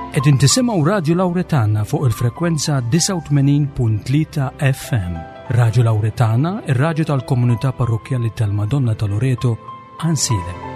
Qegħdin tisimgħu Radju Lawretana fuq il-frekwenza 89.3 FM. Radju Lawretana, ir-radju tal-komunità parrokkjali tal-Madonna ta' Loreto, Ansilem.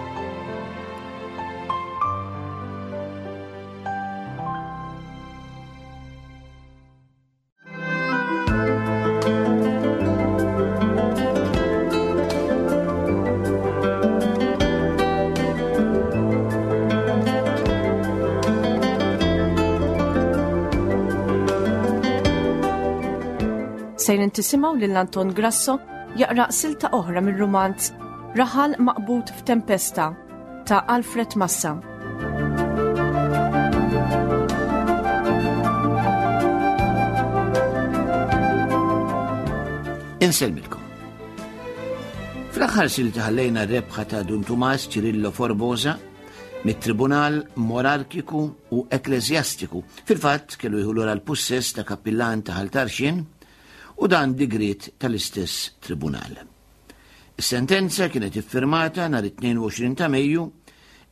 Sejrin tisimgħu lil Anton Grasso jaqra silta oħra mir-rumanz Raħal Maqbud f'Tempesta ta' Alfred Massa. Insellmilkom. Fl-aħħar silta ħallejna r-rebħa ta' Dun Tumas Cirillo Formosa mit-Tribunal Monarkiku u Ekklesjastiku. Fil-fatt kellu jieħu lura l-pussess ta' kappillan ta' Ħal Tarxien u dan digriet tal-istess tribunal. Is-sentenza kienet iffirmata nhar it-22 ta' Mejju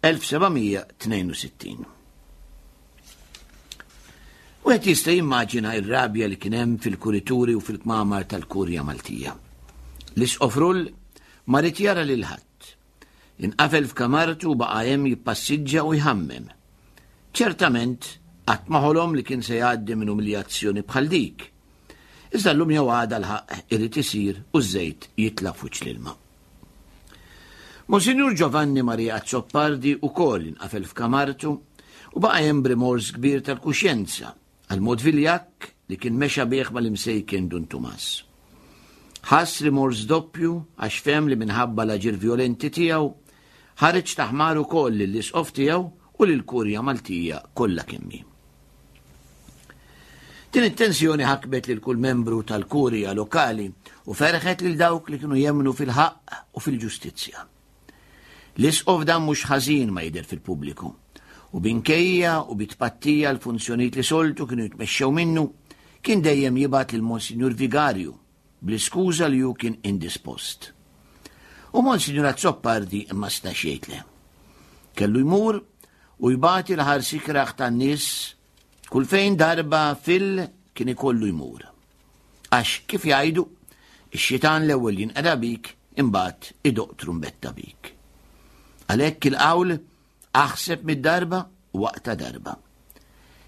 1762. Wieħed jista' jimmaġina r-rabja li kien hemm fil-kurituri u fil-kmamar tal-Kurja Maltija. L-Isqof Rull ma ried jara lil ħadd. Inqafel f'kamartu u baqa' hemm jippassiġġa u jħammem. Ċertament, qatt ma ħolom li kien se jgħaddi minn umiljazzjoni bħal dik. Iżda llum jew għada l-ħaqq irid isir u ż-żejt jitla' f'wiċċ l-ilma. Monsinjur Giovanni Maria Azzopardi wkoll inqafel f'kamartu u baqa' hemm b'rimors kbir tal-kuxjenza għall-mod viljakk li kien mexa bih mal-imsejken Dun Tumas. Ħass rimors doppju għax fehem li minħabba l-aġir vjolenti tiegħu ħareġ ta' ħmar ukoll lill-isqof tiegħu u lill-Kurja Maltija kollha kemm hi. Din it-tensjoni ħakmet lil kull membru tal-kurja lokali u ferħet lil dawk li kienu jemmnu fil-ħaqq u fil-ġustizzja. L-isqof dan mhux ħażin ma jidher fil-pubbliku u binkejja u bitpattija l-funzjonijiet li soltu kienu jitmexxew minnu kien dejjem jibgħat lil Monsinjur Vigarju bl-iskuża li hu kien indispost. U Monsinjur Azzopardi ma setax jgħid le. Kellu jmur u jbati l-ħars ikrah tan-nies kull fejn darba fil kien ikollu jmur. Għax kif jgħidu, ix-xitan l-ewwel jinqeda bik imbagħad idoq trumbetta bik. Għalhekk il-qawl aħseb mid-darba u waqta darba.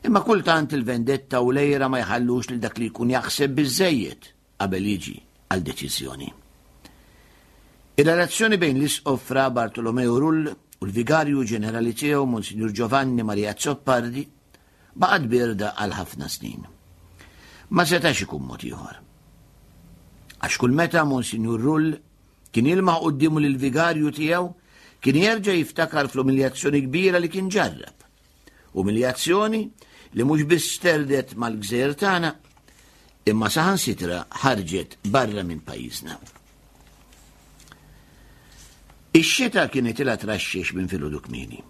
Imma kultant il-vendetta u l-għira ma jħallux lil dak li jkun jaħseb biżżejjed qabel jiġi għal deċiżjoni. Ir-relazzjoni bejn l-Isqof Fra Bartolomeo Rull u l-Vigarju Ġenerali tiegħu Monsinjur Giovanni Maria Azzopardi baqgħet bierda għal ħafna snin. Ma setax ikun mod ieħor. Għax kull meta Monsinjur Rull kien jilmaħ quddiemu lill-vigarju tiegħu, kien jerġa' jiftakar fl-umiljazzjoni kbira li kien ġarrab. Umiljazzjoni li mhux biss xterdet mal-gżejjer tagħna, imma saħansitra ħarġet barra minn pajjiżna. Ix-xita kienet ilha traxxiex minn filgħodu kmieni.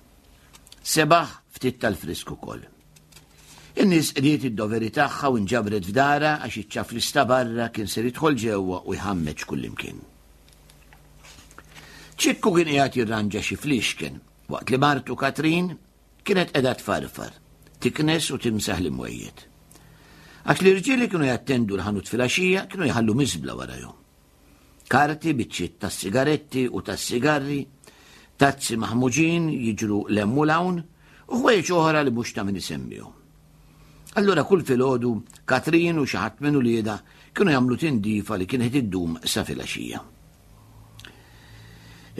Sebaħ ftit tal-frisk ukoll. In-nies qdiet id-doveri tagħha u nġabret f'darha għax iċ-ċaflis ta' barra kien ser jidħol ġewwa u jħammeġ kullimkien. Ċikku kien qiegħed jirranġa xi fliexken waqt li martu Katrin kienet qiegħda tfarfar, tiknes u timsaħ l-imwejjed. Għax l-irġiel li kienu jattendu l-ħanut filgħaxija kienu jħallu miżbla warajhom. Karti, biċċiet tas-sigaretti u tas-sigarri, tazzi maħmuġin jiġru 'l hemm u 'l hawn, u ħwejjeġ oħra li mhux ta' min isemmihom. Allura kull filgħodu Katrin u xi ħadd minn uliedha kienu jagħmlu tindifa li kienet iddum sa filgħaxija.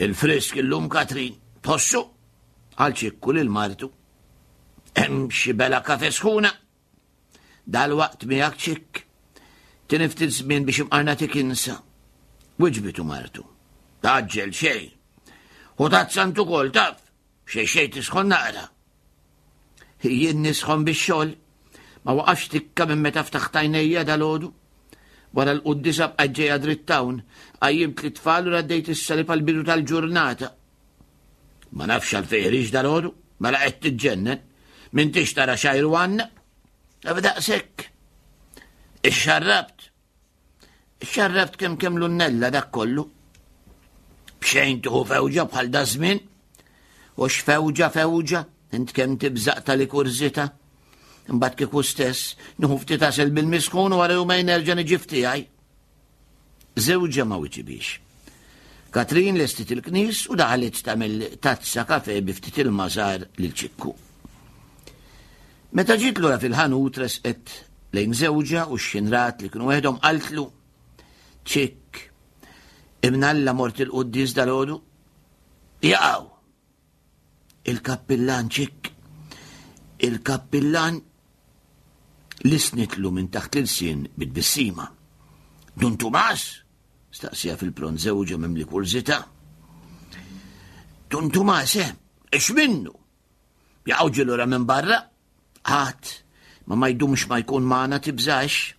Il-frisk illum Katrin, tħossu? Għal ċikku lil martu. Hemm xi bela kafe sħuna. Dalwaqt miegħek ċikk. Tieni ftit żmien biex imqar nagħtik insa. Wiġbitu martu. Taġġel xejn. U tazzant ukoll taf, xejn xejn tisħon naqra. Jien nisħon bix-xogħol. Ma waqafx tikka minn meta ftaħt għajnejja dal-għodu. Wara l-quddisa bqajt ġejja dritt hawn, qajjimt lit-tfal u raddejt is-salib għall-bidu tal-ġurnata. Ma nafx għalfejn ħriġt dal-għodu, mela qed tiġġennen. M'intix tara xajru għandna. Daqshekk. Ixxarrabt. Xarrabt kemm kemm l-unnella dak kollu. B'xejn tieħu fewġa bħal da żmien. U x'fewġa fewġa, int kemm tibżaq tal-ikurzita. Imbagħad kieku stess nieħu ftit għasel bil-misħun u wara jumejn nerġa' niġi f'tiegħi. Żewġha ma wiġibix. Katrin lestit il-knis u daħlet tagħmel tazza kafe bi ftit il-mażar lil ċikku. Meta ġiet lura fil-ħanut resqet lejn żewġha u x-xinrat li kienu weħdhom qaltlu Ċikk, imnalla mort il-quddis dal-għodu? Jaqaw! Il-kappillan ċikk, il-kappillan li snitlu minn taħt l-ilsien bit-tbissima. Dun Tumas? Staqsija fil-pront żewġha mimli kurżità. Dun Tumas, eh, ix minnu? Jaqgħu ġilura minn barra? Għad, ma ma jdumx ma jkun magħna tibżax.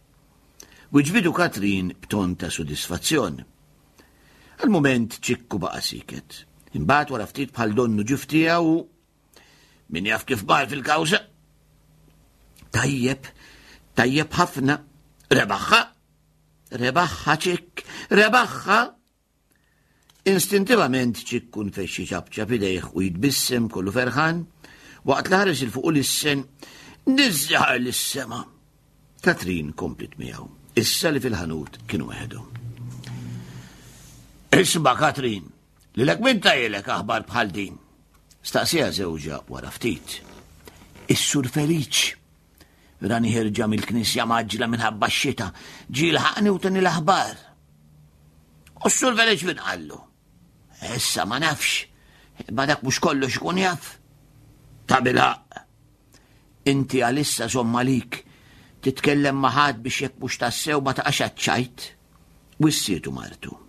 Wiġbidu Katrin b'ton ta' sodisfazzjon. Għal-mument ċikku baqa' siket. Imbagħad wara ftit bħal donnu ġif tiegħu min jaf kif bar fil-kawża. Tajjeb, tajjeb ħafna, rebaħħa, rebaħħa ċikk, rebaħħa. Instintivament Ċikku nfexx iċapċap idejh u jitbissem kollu ferħan, waqt li ħares 'il fuq u lissen, Niżżar lis-sema! Katrin komplit miegħu, issa li fil-ħanut kienu weħedhom. Isma' Katrin, lilek min tajlek aħbar bħal din? Staqsija żewġha wara ftit. Is-Sur Feliċ. Rani ħerġa mill-knisja maġla minħabba x-xita, ġie lħaqni u tani l-aħbar. U s-sur Feliċ min qallu? Issa ma nafx, ma dak mhux kollox ikun jaf. Ta' bilhaq. Inti għalissa żomm għalik, titkellem ma' ħadd biex jekk mhux tassew ma taqax għaċ-ċajt. Wissietu martu.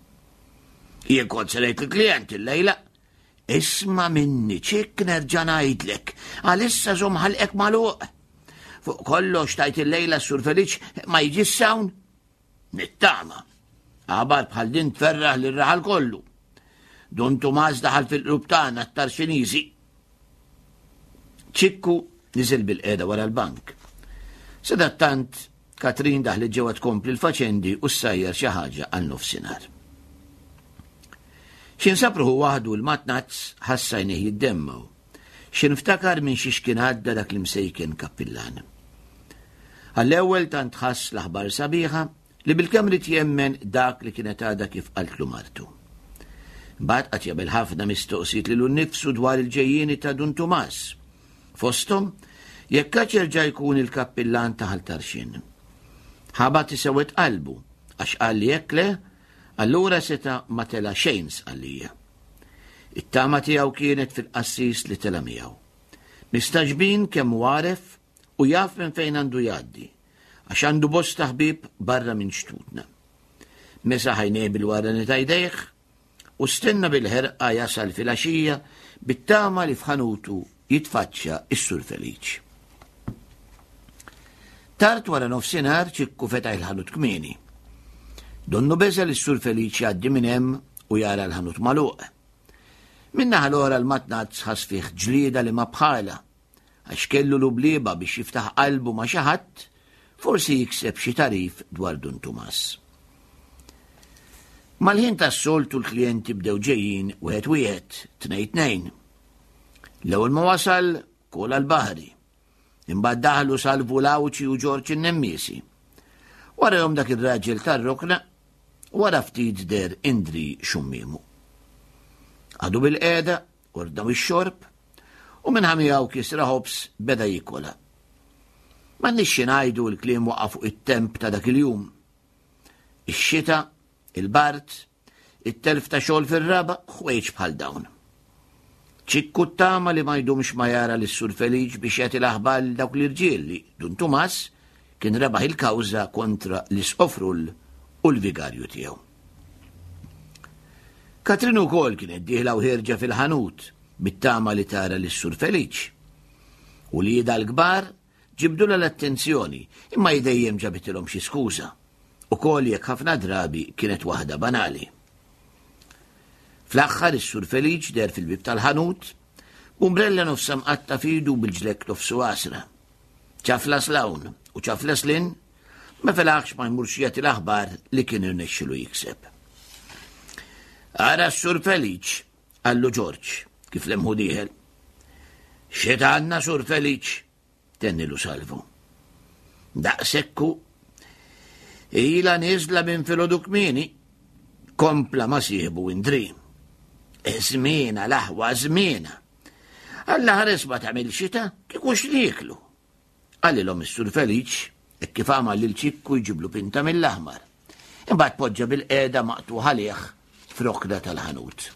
Jien kont se ngħid il-klient illejla. Isma' minni ċikk nerġa' ngħidlek, għalissa żomm ħalqek magħluq. Fuq kollox tajt illejla s-Sur Feliċ ma jiġix hawn. Nittama. Aħbar bħal din tferraħ lir-raħal kollu. Dun Tumas daħal fil-qlub tagħna t-Tarxiniżi. Ċikku niżel bil-qeda wara l-bank. Sadattant, Katrin daħlet ġewwa tkompli l-faċendi u ssajjar xi ħaġa għal nofsinhar. X'in sab ruħu waħdu l-matnazz ħass għajnejh jiddemmgħu. X'in ftakar minn xiex kien għadda dak l-imsejken kappillan. Għall-ewwel tant ħass l-aħbar sabiħa li bilkemm ried jemmen dak li kienet għadha kif qaltlu martu. Mbagħad qagħad jagħmel ħafna mistoqsijiet lilu nnifsu dwar il-ġejjieni ta' Dun Tumas. Fosthom, jekk għad jerġa' jkun il-kappillan ta' Ħal Tarxien. Ħabat isewwed qalbu għax qal li jekk le, allura seta' ma tela' xejn Sqallija. It-tama tiegħu kienet fil-qassis li tela' miegħu. Mistagħġbin kemm hu għaref u jaf minn fejn għandu jgħaddi, għax għandu bosta ħbieb barra minn xtutna. Mesaħ għajnejh bil-warrani ta' jdejh u stenna bil-ħerqa jasal filgħaxija bit-tama li f'ħanutu jitfaċċa s-Sur Feliċ. Tard wara nofsinhar Ċikku fetaħ il-ħanut kmieni. Donnu beża li s-Sur Feliċ jgħaddi minn hemm u jara l-ħanut magħluq. Min-naħa l-oħra l-matnazz ħass fih ġlieda li ma bħala għax kellu l-ublieba biex jiftaħ qalbu ma' xi ħadd, forsi jikseb xi tagħrif dwar Dun Tumas. Mal-ħin tas-soltu l-klijenti bdew ġejjin wieħed wieħed, tnejn tnejn. L-ewwel ma wasal Kola l-Baħri. Imbagħad daħlu Salvu l-Għawdxi u Ġorġ in-Nemmiesi. Warahom dak ir-raġel tar-rokna, wara ftit der Indri Xummiemu. Għadu bil-qiegħda Ordnaw ix-xorb u minn miegħu kisra ħobż beda jikolha. M'għandniex xi ngħidu l-kliem waqa' fuq it-temp ta' dak il-jum. Ix-xita, il-bard, it-telf ta' xogħol fir-raba' ħwejġ bħal dawn. Ċikku tama li ma jdumx ma jara lis sur Feliċ biex jagħti l-aħbar lil dawk l-irġiel li Dun Tumas kien rebaħ il-kawża kontra l-Isqof Rull u l-vigarju tiegħu. Katrin ukoll kienet dieħla u ħierġa fil-ħanut bit-tama li tara lis-Sur Feliċ. Uliedha l-kbar ġibdulha l-attenzjoni imma hi dejjem ġabitilhom xi skuża, ukoll jekk ħafna drabi kienet waħda banali. Fl-aħħar is-Sur Feliċ deher fil-bieb tal-ħanut, b'umbrella nofsha mqatta' f'idu bil-ġlekk nofsu għasra. Ċaflas 'l hawn u ċaflas 'l hinn Ma felaħx ma jmurx jagħti l-aħbar li kien irnexxilu jikseb. Ara s-Sur Feliċ, qallu Ġorġ, kif lemħu dieħel. Xi għandna Sur Feliċ? Tennilu Salvu. Daqshekk hu. Ilha nieżla minn filgħodu kmieni, kompla ma' sieħbu Indri. Żmiena l-aħwa żmiena. Alla ħares ma tagħmel xita kieku x'nieklu. Qalilhom is-Sur Feliċ hekk kif għamal lil Ċikku jġiblu pinta mill-aħmar. Imbagħad poġġa bil-qiegħda maqtugħ għalih f'rokna tal-ħanut.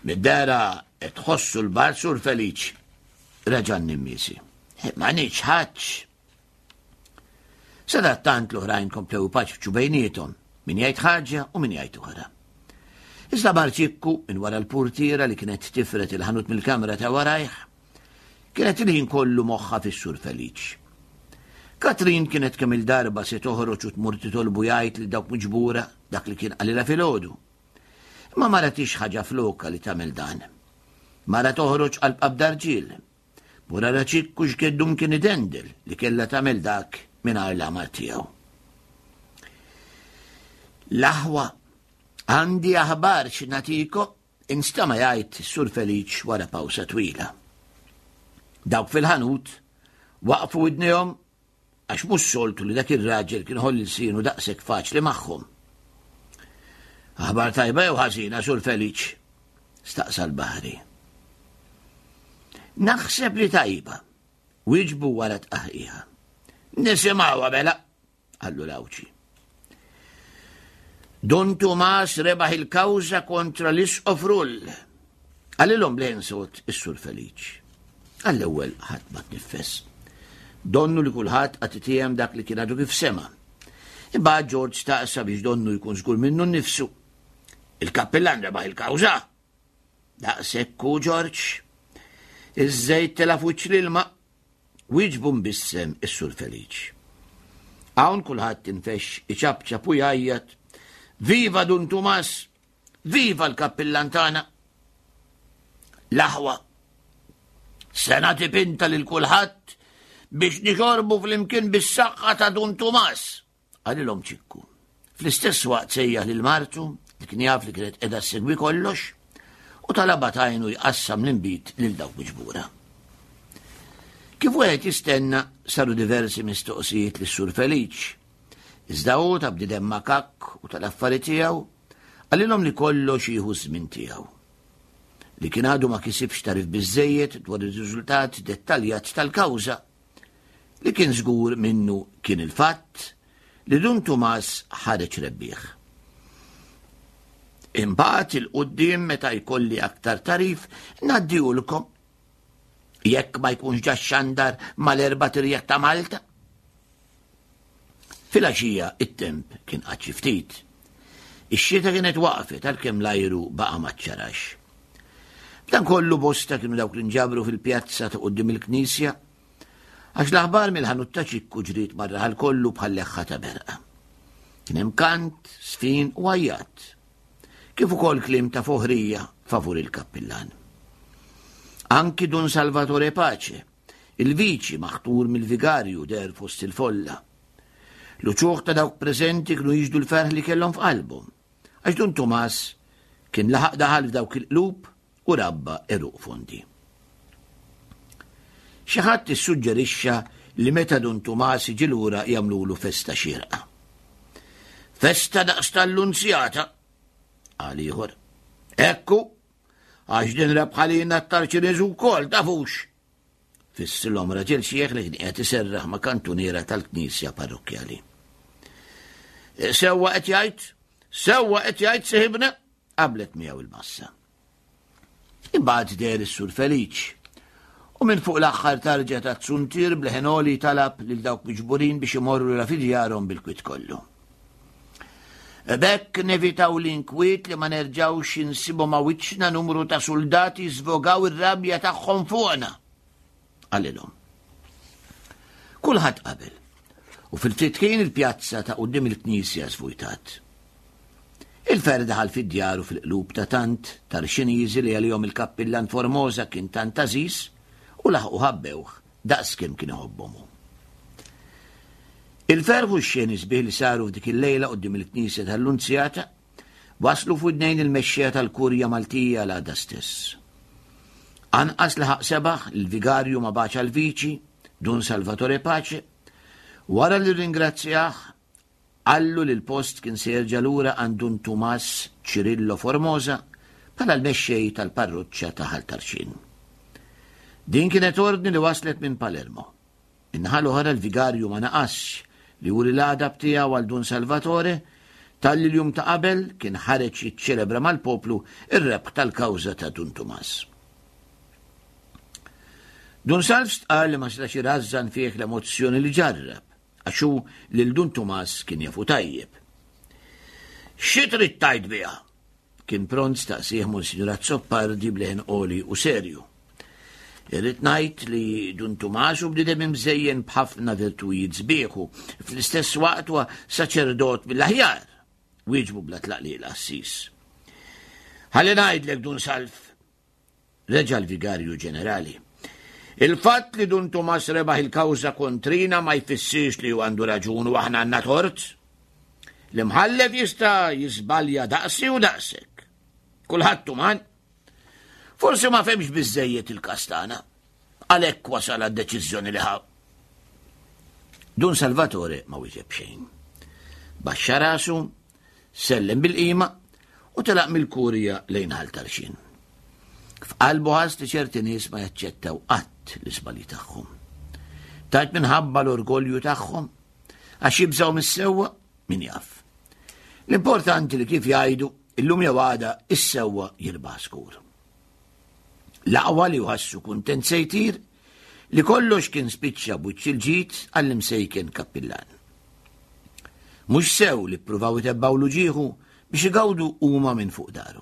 Mid-dehra qed tħossu l-bard Sur Feliċ, reġa' n-nimmiesi. Eh, ma niċħadx. Sadattant l-oħrajn komplew ipaċċu bejniethom, min jgħid ħaġa u min jgħid oħra. Iżda Marċikku, minn wara l-purtiera li kienet tifret il-ħanut mill-kamra ta' warajh, Kienet il-ħin kollu moħħha fis-Sur Feliċ. Katrin kienet kemm il-darba se toħroġ u tmur titolbu jgħid lil dawk miġbura dak li kien qalilha filgħodu. Imma ma ratix ħaġa floka li tagħmel dan. Mara toħroġ qalb qabda rġiel. Mur ara ċikku x'geddum kien idendel li kellha tagħmel dak mingħajr l-amar tiegħu. L-aħwa għandi aħbar x'natikom Instama' jgħid is-Sur Feliċ wara pawsa twila. Dawk fil-ħanut waqfu widnejhom għax mhux soltu li dak ir-raġel kien ħoll ilsienu daqshekk faċli magħhom. Aħbar tajba jew ħażina, Sur Feliċ? staqsa l-baħri. Naħseb li tajba, wieġbu wara tqaħqiha. Nisimgħuha mela, qallu l-Għawdxi. Dun Tumas rebaħ il-kawża kontra l-Isqof Rull. Qalilhom b'leħen sod is-Sur Feliċ. Għall-ewwel ħadd ma tniffes. Donnu li kulħadd qed itiegħem dak li kien għadu kif sema'. Imbagħad George staqsa biex donnu jkun żgur minnu nnifsu. Il-kappillan rebaħ il-kawża? Daqshekk hu George. Iż-żejt tela' f'wiċċ l-ilma. Wieġbu mbissem is-Sur Feliċ. Hawn kulħadd infexx iċapċap u jgħajjat, Viva Dun Tumas! Viva l-kappillan tagħna! L-aħwa! Se nagħti pinta lil kulħadd biex nixorbu flimkien bis-saħħa ta' Dun Tumas! Qalilhom Ċikku. Fl-istess waqt sejjaħ lil martu, li kien jaf li kienet qiegħda ssegwi kollox, u talabha tgħinu jqassam l-inbid lil dawk miġbura. Kif wieħed jistenna, saru diversi mistoqsijiet lis-Sur Feliċ. Iżda hu ta' bniedem makakk u tal-affari tiegħu, qalilhom li kollox jieħu ż-żmien tiegħu. Li kien għadu ma kisibx tagħrif biżżejjed dwar ir-riżultat dettaljat tal-kawża Li kien żgur minnu kien il-fatt li Dun Tumas ħareġ rebbieħ. Imbagħad 'il quddiem meta jkolli aktar tagħrif ngħaddihulkom. Jekk ma jkunx ġa xxandar mal-erbat irjieħ ta' Malta. Filgħaxija it-temp kien qagħad xi ftit. Ix-xita kienet waqfet għalkemm l-ajru baqa' ma ċċarax. B'dan kollu bosta kienu dawk li nġabru fil-pjazza ta' quddiem il-knisja għax l-aħbar mill-ħanut ta' Ċikku ġriet mar-raħal kollu bħal leħħa ta' berqa. Kien hemm kant, sfin u għajjat, kif ukoll kliem ta' foħrija favur il-kappillan. Anki Dun Salvatore Pace, il-viċi maħtur mill-vigarju deher fost il-folla. L-uċuħ ta' dawk preżenti kienu jixhdu l-ferħ li kellhom f'qalbhom, għax Dun Tumas kien laħaq daħal f'dawk il-qlub u rabba għeruq fondi. Xi ħadd issuġġerixxa li meta Dun Tumas jiġi lura jagħmlulu festa xierqa. Festa daqs tal-Lunzjata, qal ieħor. Ekku, għax din rebħa lilna t-Tarċiniż ukoll tafux. Fissilhom raġel xieħ li kien qiegħed iserraħ ma' kantuniera tal-knisja parrokkjali. E, sewwa qed jgħid, sewwa qed jgħid siħibna, qablet miegħu il-massa. Imbagħad deher is-Sur Feliċ u minn fuq l-aħħar tarġa ta' tsuntier bleħen għoli talab lil dawk miġburin biex imorru lura fi djarhom bil-kwiet kollu. B'hekk nevitaw l-inkwiet li ma nerġgħux insibu ma' wiċċna numru ta' suldati jiżvogaw ir-rabja tagħhom fuqna, qalilhom. Kulħadd qabel, u fil-ftit ħin il-pjazza ta' quddiem il-knisja żvujtat. Il-ferħ daħal fid-djar u fil-qlub ta' tant Tarxiniżi li għalihom il-kappillan Formosa kien tant għażiż u laħqu ħabbewh daqs kemm kien iħobbhom hu. Il-ferħ u x-xeni sbieħ li saru f'dik il-lejla quddiem il-knisja tal-Lunzjata waslu f'widnejn il-mexxejja tal-Kurja Maltija l-għada stess. Anqas laħaq sebaħ l-vigarju ma bagħatx għall-viċi, Dun Salvatore Pace, wara li rringrazzjah, qallu li l-post kien se jerġa' lura għand Dun Tumas Cirillo Formosa bħala l-mexxej tal-parroċċa ta' Ħal Tarxien. Din kienet ordni li waslet minn Palermo. Min-naħa l-oħra l-vigarju ma naqasx li juri l-għadab tiegħu għal Dun Salvatore talli l-jum ta' qabel kien ħareġ jiċċelebra mal-poplu r-rebħ tal-kawża ta' Dun Tumas. Dun Salv stqarr li ma setax irażżan fih l-emozzjoni li ġarrab għax hu lil Dun Tumas kien jafu tajjeb. Xi trid tgħid biha? Kien pront staqsih Monsinjur Azzopardi b'leħen għoli u serju. Irrid ngħid li Dun Tumas hu bniedem imżejjen b'ħafna virtujiet sbieħ u fl-istess waqt huwa saċerdot mill-aħjar, wieġbu bla tlaqliq l-qassis. Ħalli ngħidlek Dun Salv, Reġa' l-Vigarju Ġenerali. Il-fatt li Dun Tumas rebaħ il-kawża kontrina ma jfissirx li hu għandu raġun u aħna għandna tort. L-imħallef jista' jiżbalja daqsi u daqsek. Kulħadd uman. Forsi ma fehmx biżżejjed il-każ tagħna. Għalhekk wasal għad-deċiżjoni li ħa. Dun Salvatore ma wieġeb xejn. Baxxa rasu, Sellem bil-qima u telaq mill-Kurja lejn Ħal Tarxien. F'qalbu ħass li ċerti nies ma jaċċettaw qatt l-iżbalji tagħhom. Tajt minħabba l-orgolju tagħhom, għax jibżgħu mis-sewwa, min jaf. L-importanti li kif jgħidu, illum jew għada is-sewwa jirbaħ skur. L-aqwa li ħassu kuntent se jtir li kollox kien spiċċa b'wiċċ il-ġid għall-imsejken kappillan. Mhux sew li ppruvaw itebbgħu ġieħu biex igawdu huma minn fuq daru.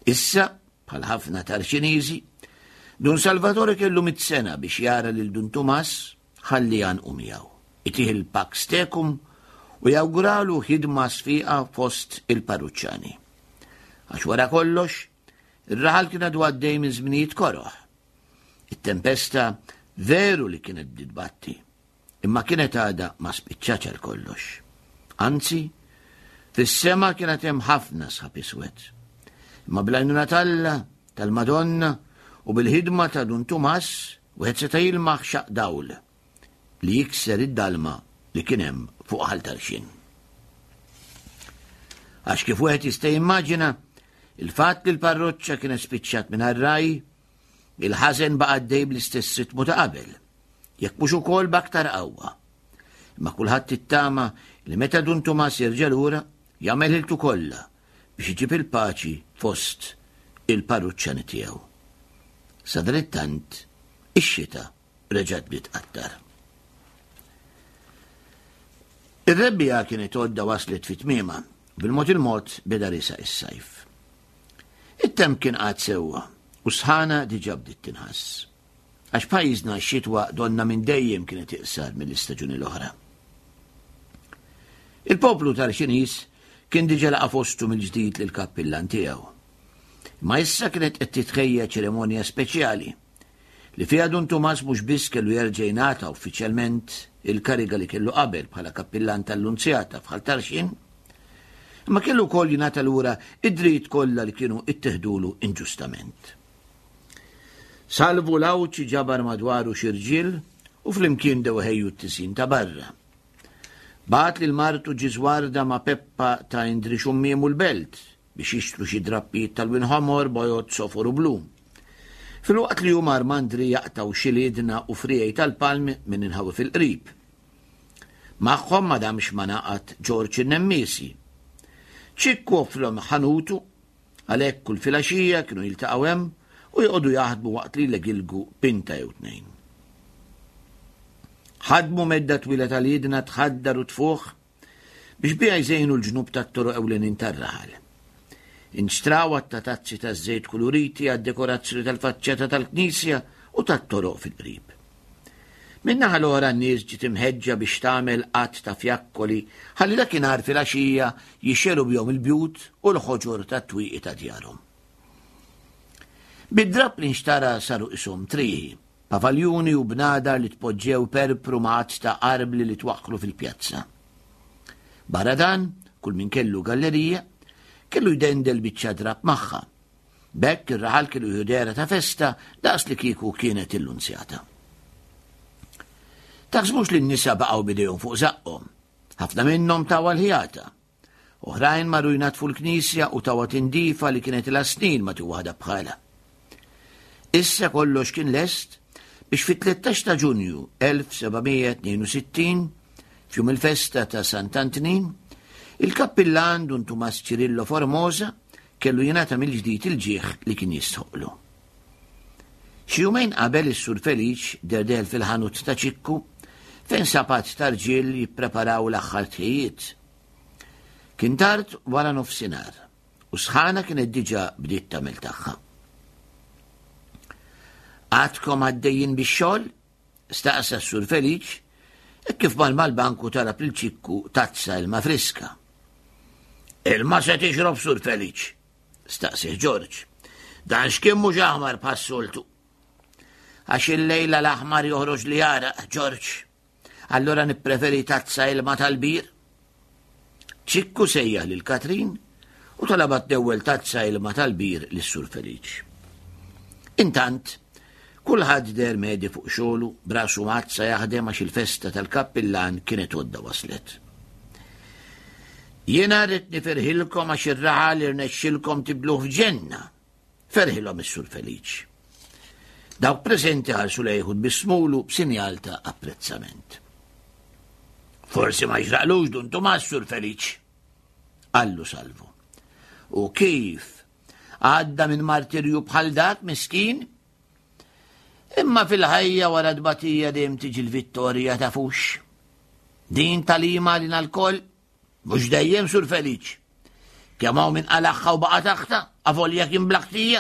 Issa, bħal ħafna Tarxiniżi, Dun Salvatore kellu mit-sena biex jara lil Dun Tumas ħalli għanqu miegħu, itih il-pax tecum u jawguralu ħidma sfiqa fost il-parruċċani. Għax wara kollox, ir-raħal kien għadu għaddej minn żminijiet koroh. It-tempesta veru li kienet bdiet batti, imma kienet għadha ma spiċċatx għal kollox. Anzi, fis-sema kienet hemm ħafna sħab iswed. Imma bl-għajnuna t'Alla, tal-Madonna u bil-ħidma ta' Dun Tumas, wieħed seta' jilmaħ xaq dawl li jikser id-dalma li kien hemm fuq Ħal Tarxien. Għax kif wieħed jista' jimmaġina, il-fatt li l-parroċċa kienet spiċċat mingħajr raj, il-ħażen baqa' għaddej bl-istess ritmu ta' qabel, jekk mhux ukoll b'aktar qawwa. Imma kulħadd ittama li meta Dun Tumas jerġa' lura, jagħmel ħiltu kollha biex iġib il-paċi fost il-parruċċani tiegħu. Sadanittant, ix-xita reġgħet bdiet tqattar. Ir-rebbiegħa kienet għodda waslet fi tmiemha, bil-mod il-mod beda riesaq is-sajf. It-temp kien qagħad sewwa u s-sħana diġà bdiet tinħass. Għax pajjiżna x-xitwa donna minn dejjem kienet iqsar mill-istaġuni l-oħra. Il-poplu tal-Xinis kien diġà laqa' fostu mill-ġdid lill-kappillan tiegħu. Imma issa kienet qed titħejja ċerimonja speċjali li fiha Dun Tumas mhux biss kellu jerġa' jingħata uffiċjalment il-kariga li kellu qabel bħala kappillan tal-Lunzjata f'Ħal Tarxien, imma kellu wkoll jingħata lura id-drijiet kollha li kienu itteħdulu inġustament. Salvu l-Għawdxi ġabar madwaru xi rġiel u flimkien dew iħejju t-tiżjin ta' barra. Bagħat lil martu Ġiżwarda ma' Peppa ta' Indri Xummiemu l-Belt biex jixtru xi drappijiet tal-wien ħomor, bojod, sofor u blu. Filwaqt li hu mar m'Andri jaqtgħu xi liedna u friegħi tal-palm minn inħawi fil-qrib. Magħhom ma damx ma ngħaqad Ġorġ in-Nemmiesi. Ċikku offrilhom ħanutu, għalhekk kull filgħaxija kienu jiltaqgħu hemm u joqogħdu jaħdmu waqt li jlegilgu pinta jew tnejn. Ħadmu medda twila ta' liedna tħaddar u tfuħ biex biha jżejnu l-ġnub tat-toroq ewlenin tar-raħal. Inxtraw għadd ta' tazzi taż-żejt kuluriti għad-dekorazzjoni tal-faċċata tal-knisja u tat-toroq fil-qrib. Min-naħa l-oħra n-nies ġiet imħeġġa biex tagħmel għadd ta' fjakkoli ħalli dakinhar filgħaxija jixegħlu bihom il-bjut u l-ħoġor tat-twieqi ta' djarhom. Bid-drapp li nxtara saru qishom trieħi Pavaljuni u bnadar li tpoġġew perpru ma' għadd ta' arbli li twaħħlu fil-pjazza. Barra dan, kull min kellu gallerija, kellu jdendel biċċa drapp magħha. B'hekk ir-raħal kellu jieħu dehra ta' festa daqs li kieku kienet il-Lunzjata. Taħsbux li n-nisa baqgħu b'idejhom fuq żaqqhom. Ħafna minnhom tawha l-ħjata. Oħrajn marru jnaddfu l-knisja u tawha tindifa li kienet ilha snin ma tieħu waħda bħalha. Issa kollox kien lest biex fit-13 ta' Ġunju 1762, f'jum il-festa ta' Sant'Antnin, il-kappillan Dun Tumas Cirillo Formosa kellu jingħata mill-ġdid il-ġieħ li kien jistħoqlu. Xi jumejn qabel is-Sur Feliċ derdel fil-ħanut ta' Ċikku fejn sab għadd ta' rġiel jippreparaw l-aħħar tħejjiet. Kien tard wara nofsinhar u sħana kienet diġà bdiet tagħmel tagħha. Għadkom għaddejjin bix-xogħol? Staqsa s-Sur Feliċ hekk kif mal mal-bank u talab lil Ċikku tazza ilma friska. Ilma se tixrob Sur Feliċ? Staqsih Ġorġ. Dan x'kien mhux aħmar bħas-soltu. Għax il-lejla l-aħmar joħroġ li jara, Ġorġ. Allora nippreferi tazza ilma tal-bir. Ċikku sejjaħ lil Katrin u talabha tnewwel tazza ilma tal-bir lis-Sur Feliċ. Intant, kulħadd deher medi fuq xogħlu, b'rasu mgħaddsa jaħdem għax il-festa tal-kappillan kienet għodda waslet. Jiena rrid nifirħilkom għax ir-raħal irnexxilkom tibdluh f'ġenna, Ferħilhom is-Sur Feliċ. Dawk preżenti ħarsu lejh u tbissmulu b'sinjal ta' apprezzament. Forsi ma jxraqlux Dun Tumas, Sur Feliċ, qallu Salvu. U kif? Għadda minn martirju bħal dak miskin? Imma fil-ħajja wara tbatija dejjem tiġi l-vittorja tafux. Din talima lina lkoll Mhux dejjem Sur Feliċ. Kemm hawn min qalagħha u baqa' taħta, avolja kien bla ħtija.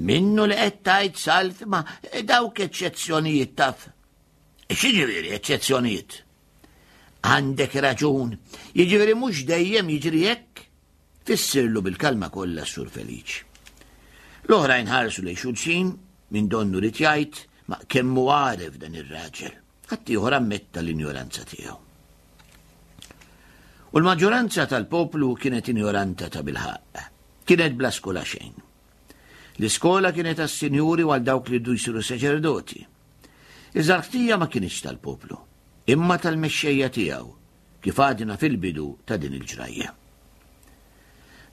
Minnu li qed tgħid Salv ma dawk eċċezzjonijiet taf. X'jiġifieri eċċezzjonijiet? Għandek raġun, jiġifieri mhux dejjem jiġri hekk. Fissirlu bil-kalma kollha s-Sur Feliċ. L-oħrajn ħarsu lejn xulxin minn donnu rid jgħid ma kemm hu għaref dan ir-raġel. Ħaddieħor ammetta l-injoranza tiegħu. U l-maġġoranza tal-poplu kienet injoranta ta' bilħaqq. Kienet bla skola xejn. L-iskola kienet għas-sinjuri u għal dawk li rdu jsiru saċerdoti. Iżda l-ħtija ma kinitx tal-poplu, imma tal-mexxejja tiegħu, kif għadna fil-bidu ta' din il-ġrajja.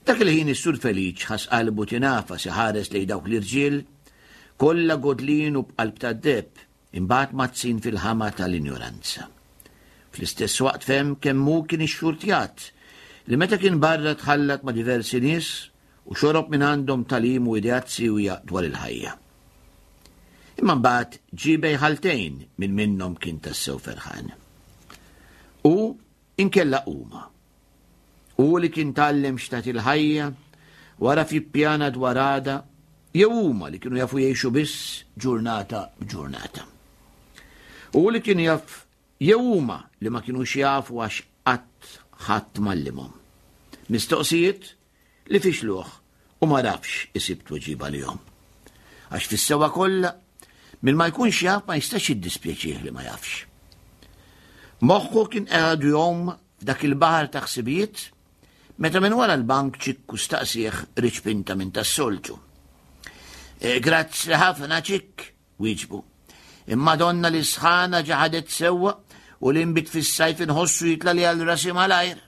Dak il-ħin is-Sur Feliċ ħass qalbu tingħafas iħares lejn dawk l-irġiel, kollha godlin u b'qalb tad-deheb, Imbagħad mgħaddsin fil-ħama tal-injoranza. Fl-istess waqt fehem kemm hu kien ixxurtjat li meta kien barra tħallat ma' diversi nies u xorob minn għandhom tagħlim u ideat siewja dwar il-ħajja. Imma mbagħad ġie bejn ħaltejn min minnhom kien tassew ferħan. Hu inkella huma. Hu li kien tgħallem x'tagħti l-ħajja u għaraf jippjana dwar għada, jew huma li kienu jafu jgħixu biss ġurnata b'ġurnata. Hu li kien jaf jew huma li ma kinux jafu għax qatt ħadd m'għallimhom. Mistoqsijiet li fixluh u ma rafx isib tweġiba għalihom. Għax fis-sewwa kollha, min ma jkunx jaf ma jistax jiddispjaċih li ma jafx. Moħħu kien qiegħed jgħum f'dak il-baħar ta' ħsibijiet meta minn wara l-bank Ċikku staqsih riċpinta minn tas-soltu. E, grazzi ħafna Ċikk, wieġbu. Imma donna li sħana ġaħadet sewwa u l-inbid fis-sajf inħossu jitla li għal rasi malajr.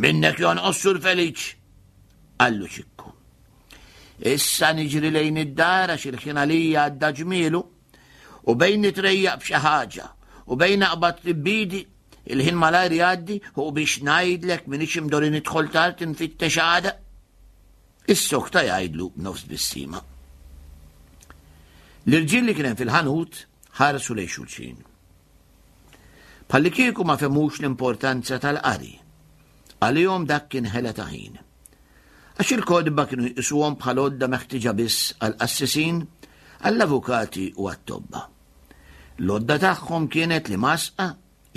Minnek jonqos Sur Feliċ, qallu Ċikku. Issa niġri lejn id-dar għax il-ħin għalija għadda ġmielu u bejn nitrejjaq b'xi ħaġa u bejn naqbad bidi il-ħin malajr jgħaddi u biex ngħidlek m'iniex imdori nidħol tard infittex għada. Is-sokta jgħidlu b'nofs tbissima. L-irġiel li kien hemm fil-ħanut ħarsu lejn xulxin. Bħallikieku ma fehmux l-importanza tal-qari. Għalihom dak kien ħela ta' ħin. Għax il-kotba kienu jqisuhom bħal għodda meħtieġa biss għall-qassisin, għall-avukati u għat-tobba. L-għodda tagħhom kienet l-imgħasqa,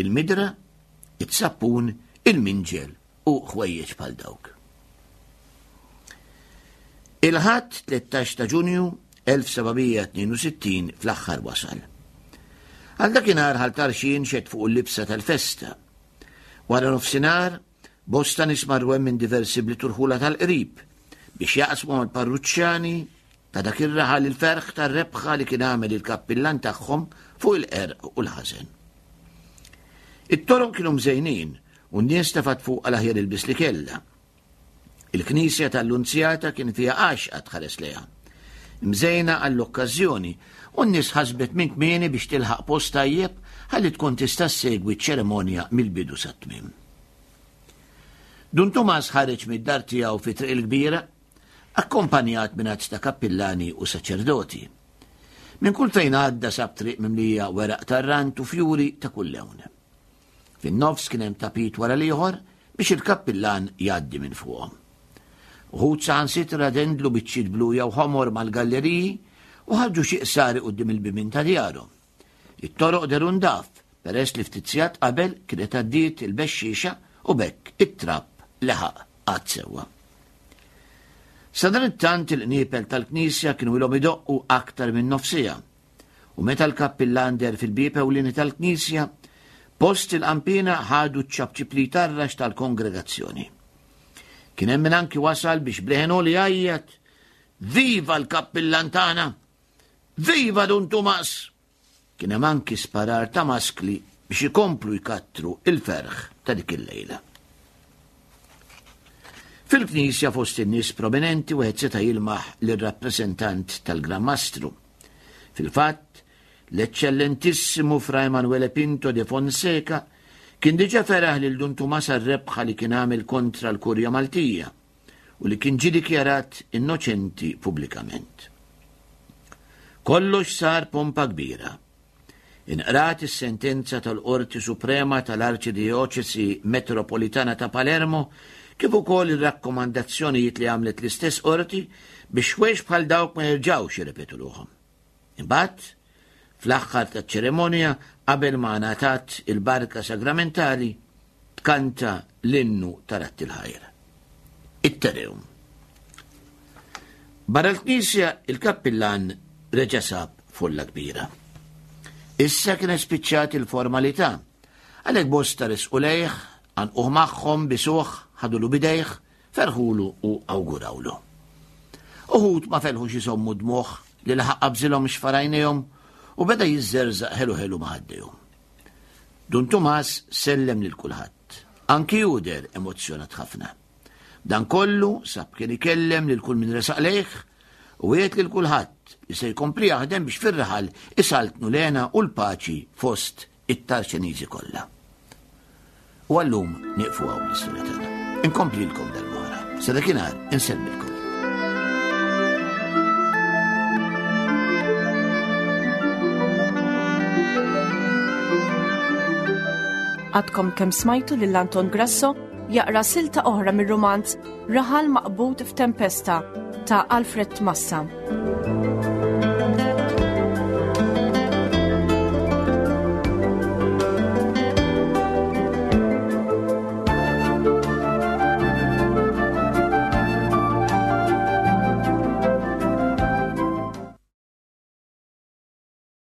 il-midra, it-sappun, il-minġel u ħwejjeġ bħal dawk. Il-Ħadd 13 ta' Ġunju 1762 fl-aħħar wasal. Għal dakinhar Ħal Tarxien xed fuq il-libsa tal-festa. Wara nofsinhar, bosta nies marru hemm minn diversi bliet u rħula tal-qrib. biex jaqsmu mal-parruċċjani ta' dak ir-raħal il-ferħ tar-rebħa li kien għamel il-kappillan tagħhom fuq il-qerq u l-ħażen. It-toroq kienu mżejnin u n-nies tefgħet fuqha l-aħjar ilbies li kellha. Il-knisja tal-Lunzjata kien fiha għaxqa tħares lejha. Mżejna għall-okkażjoni u n-nies ħasbet minn kmieni biex tilħaq post tajjeb ħalli tkun tista' ssegwi ċ-ċerimonja mill-bidu sat-tmiem. Dun Tumas ħareġ mid-dar tiegħu fi Triq il-Kbira, akkompanjat minn għadd ta' kappillani u saċerdoti. Minn kull fejn għadda sab triq mimlija weraq tar-rant u fjuri ta' kull lewn. Fin-nofs kien hemm tapit wara l-ieħor biex il-kappillan jgħaddi minn fuqhom. Uħud saħansitra dendlu biċċiet blu jew ħomor mal-galleriji u ħarġu xi qsari quddiem il-bibien ta' djarhom. It-toroq dehru ndaf, peress li ftit sigħat qabel kienet għaddiet il-bexxiexa u b'hekk it-trab leħaq għad sewwa. Sadanittant il-qniepel tal-knisja kienu ilhom idoqqu aktar minn nofs siegħa u meta l-kappillan deher fil-bieb ewlieni tal-knisja, post il-qanpiena ħadu ċ-ċapċip li jtarrax tal-kongregazzjoni. Kien hemm min anki wasal biex bleħen għoli jgħajjat, Viva l-kappillan tagħna! Viva Dun Tumas! Kien hemm anki sparar ta' maskli biex ikomplu jkattru il-ferħ ta' dik il-lejla. Fil-knisja fost in-nies prominenti wieħed seta' jilmaħ lir-rappreżentant tal-Gran Mastru. Fil-fatt, l-Eċċellentissimu Fra Emanuele Pinto de Fonseca kien diġà feraħ lil Dun Tumas għar-rebħa li kien għamel kontra l-Kurja Maltija u li kien ġie dikjarat innoċenti pubblikament. Kollox sar pompa kbira. Inqrat is-sentenza tal-Qorti Suprema tal-Arċidijoċesi Metropolitana ta' Palermo kif ukoll ir-rakkomandazzjonijiet li għamlet l-istess qorti biex ħwejx bħal dawk ma jerġgħux jirrepetu ruħhom. Imbagħad, fl-aħħar taċ-ċerimonja, qabel ma ngħatat il-barka sagramentali, tkanta l-innu ta' Radd il-Ħajr. It-Te Deum. Barra l-knisja, il-kappillan reġa' sab folla kbira. Issa kienet spiċċat il-formalità, għalhekk bosta resqu lejh, għanquh magħhom, bisuh, ħadulu bidejh, Ferħulu u awgurawlu. Uħud ma felħux isommu d-dmugħ li laħaq qabżilhom xfar għajnejhom u beda jiżżerżaq ħelu ħelu ma' ħaddejhom. Dun Tumas sellem lil kulħadd. Anki hu deher emozzjonat ħafna. Dan kollu sab kien ikellem lil kull min resaq lejh u wiegħed lil kulħadd li se jkompli jaħdem biex fir-raħal isaltnu l-hena u l-paċi fost it-Tarċeniżi kollha. U għallum nieqfu hawn l-istorja tagħna. Inkomplilkom darb'oħra. Sa dakinhar insellmilkom. Għadkom kemm smajtu lil Anton Grasso jaqra silta oħra mir-rumanz Raħal maqbud f'tempesta ta' Alfred Massa.